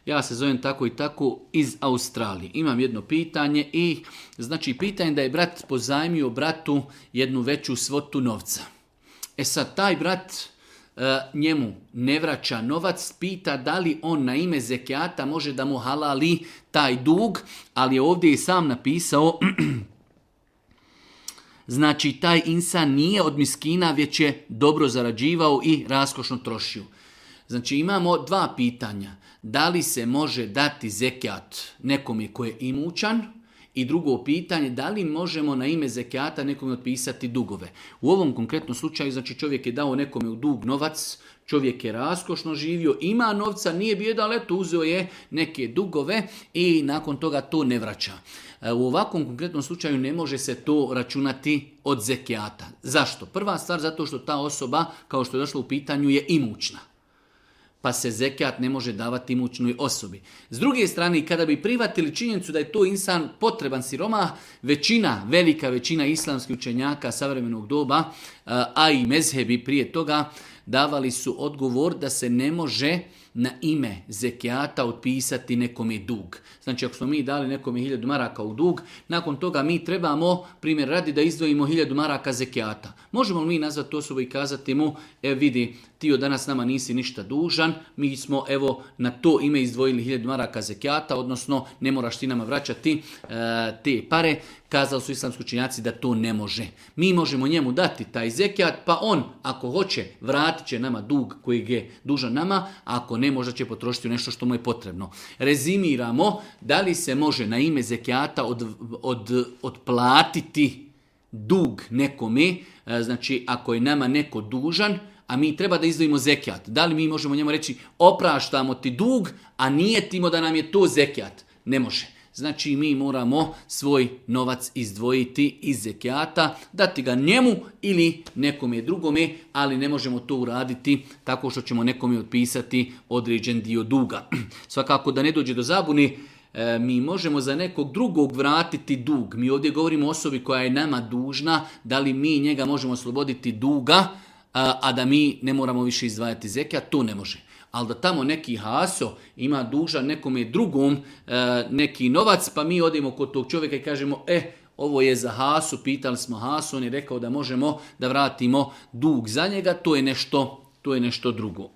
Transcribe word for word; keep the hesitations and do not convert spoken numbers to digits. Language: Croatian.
ja se zovem tako i tako iz Australije. Imam jedno pitanje i znači pitanje da je brat pozajmio bratu jednu veću svotu novca. E sad, taj brat e, njemu ne vraća novac, pita da li on na ime zekijata može da mu halali taj dug, ali je ovdje i sam napisao znači taj insan nije od miskina, već je dobro zarađivao i raskošno trošio. Znači imamo dva pitanja. Da li se može dati zekijat nekome koji je imućan? I drugo pitanje, da li možemo na ime zekijata nekome otpisati dugove? U ovom konkretnom slučaju, znači čovjek je dao nekome u dug novac, čovjek je raskošno živio, ima novca, nije bijedan, ali eto uzeo je neke dugove i nakon toga to ne vraća. U ovakvom konkretnom slučaju ne može se to računati od zekijata. Zašto? Prva stvar zato što ta osoba, kao što je došlo u pitanju, je imućna. Pa se zekijat ne može davati imućnoj osobi. S druge strane, kada bi prihvatili činjenicu da je to insan potreban siromah, većina, velika većina islamskih učenjaka savremenog doba, a i mezhebi prije toga, davali su odgovor da se ne može na ime zekijata otpisati nekome dug. Znači, ako smo mi dali nekome hiljadu maraka u dug, nakon toga mi trebamo, primjer radi, da izdvojimo hiljadu maraka zekijata. Možemo li mi nazvati osobu i kazati mu, e vidi, ti od danas nama nisi ništa dužan, mi smo evo na to ime izdvojili hiljadu maraka zekijata, odnosno ne moraš ti nama vraćati e, te pare. Kazali su islamski učenjaci da to ne može. Mi možemo njemu dati taj zekijat, pa on, ako hoće, vratit će nama dug koji je dužan nama, a ako ne, možda će potrošiti nešto što mu je potrebno. Rezimiramo, da li se može na ime zekijata od, od, odplatiti dug nekome, znači ako je nama neko dužan, a mi treba da izdvojimo zekijat. Da li mi možemo njemu reći opraštamo ti dug, a nije timo da nam je to zekijat? Ne može. Znači mi moramo svoj novac izdvojiti iz zekijata, dati ga njemu ili nekome drugome, ali ne možemo to uraditi tako što ćemo nekome otpisati određen dio duga. Svakako da ne dođe do zabune, mi možemo za nekog drugog vratiti dug. Mi ovdje govorimo o osobi koja je nama dužna, da li mi njega možemo osloboditi duga, a da mi ne moramo više izdvajati zekijat, to ne može. Ali da tamo neki haso ima dužan nekome drugom e, neki novac, pa mi odemo kod tog čovjeka i kažemo, e, ovo je za hasu, pitali smo hasu, on je rekao da možemo da vratimo dug za njega, to je nešto, to je nešto drugo.